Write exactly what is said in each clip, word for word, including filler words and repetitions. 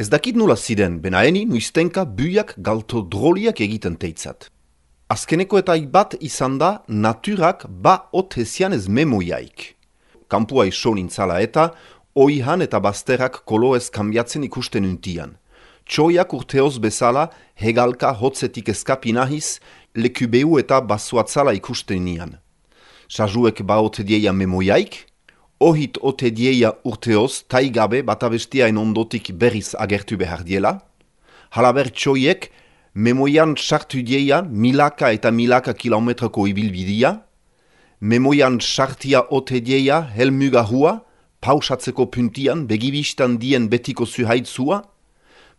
Ez dakit nula ziren, benaeni nuiztenka buiak galto droliak egiten teitzat. Azkeneko eta bat izan da naturak ba otezian ez memoiaik. Kampua iso nintzala eta oihan eta bazterrak kolo ez kambiatzen ikusten untian. Txoiak urteoz bezala hegalka hotzetik eskapi nahiz, lekubeu eta bazuatzala ikusten nian. Sajuek ba ote dieia memoiaik, ohit ote dieia urteoz taigabe batabestiaen ondotik berriz agertu behar diela. Halaber txoiek memoian sartu dieia milaka eta milaka kilometroko ibilbidia, memoian sartia ote dieia helmuga hua, pausatzeko puntian begibistan dien betiko zuhaitzua,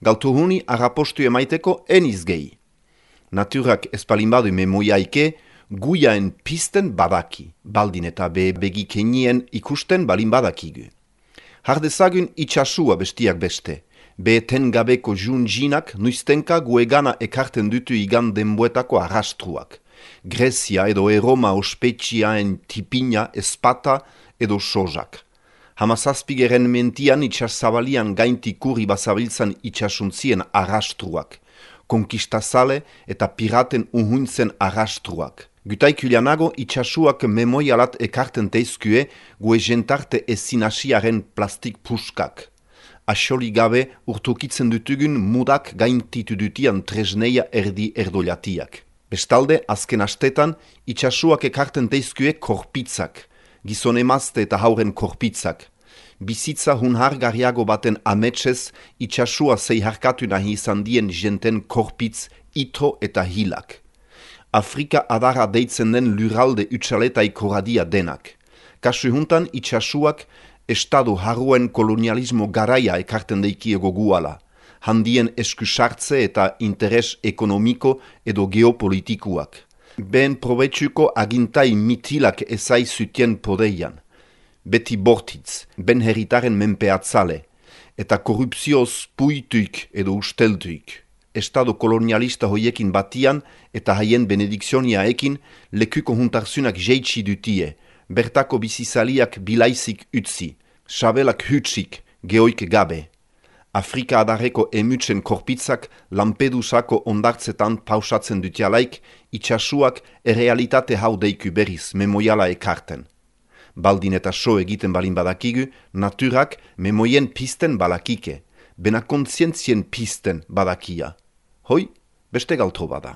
galtuhuni arrapostu emaiteko eniz gehi. Naturak espalinbadu memoiaike guiaen pisten badaki, baldin eta be begikenien ikusten balin badakigu. Hardezagun itxasua bestiak beste, be tengabeko junjinak nuiztenka guegana ekarten dutu igan denboetako arrastruak. Grezia edo Eroma ospetxiaen tipina, espata edo sojak. Hamazazpigeren mentian itxasabalian gainti kurri bazabiltzan itxasuntzien arrastruak. Konkistazale eta piraten uhuntzen arrastruak. Gutaikulianago itxasuak memoialat ekarten teizkue gue jentarte ezinasiaren plastik puskak. Asoli gabe urtukitzen dutugun mudak gaintitu dutian tresneia erdi erdoliatiak. Bestalde, azken astetan, itxasuak ekarten teizkue korpitzak, gizon emazte eta hauren korpitzak. Bizitza hunhargarriago baten ametsez, itxasua zeiharkatu nahi izan dien jenten korpitz, ito eta hilak. Afrika adara deitzen den lurralde utxaletai koradia denak. Kasu juntan itxasuak estado harruen kolonialismo garaia ekarten deikiego guala, handien eskusartze eta interes ekonomiko edo geopolitikuak. Ben probetsuko agintai mitilak ezai zutien podeian. Beti bortitz, ben herritaren menpeatzale, eta korrupzioz puituik edo usteltuik. Estado kolonialista hoiekin batian eta haien benedikzioniaekin lekuko juntarzunak jeitsi dutie, bertako bizizaliak bilaizik utzi, sabelak hutsik, geoik gabe. Afrika adarreko emutzen korpitzak Lampedusako ondartzetan pausatzen dutialaik, itxasuak errealitate hau deiku berriz memoiala ekarten. Baldin eta so egiten balin badakigu, naturak memoien pisten balakike, bena kontzientzien pisten badakia. Hoi, beste galtro bada.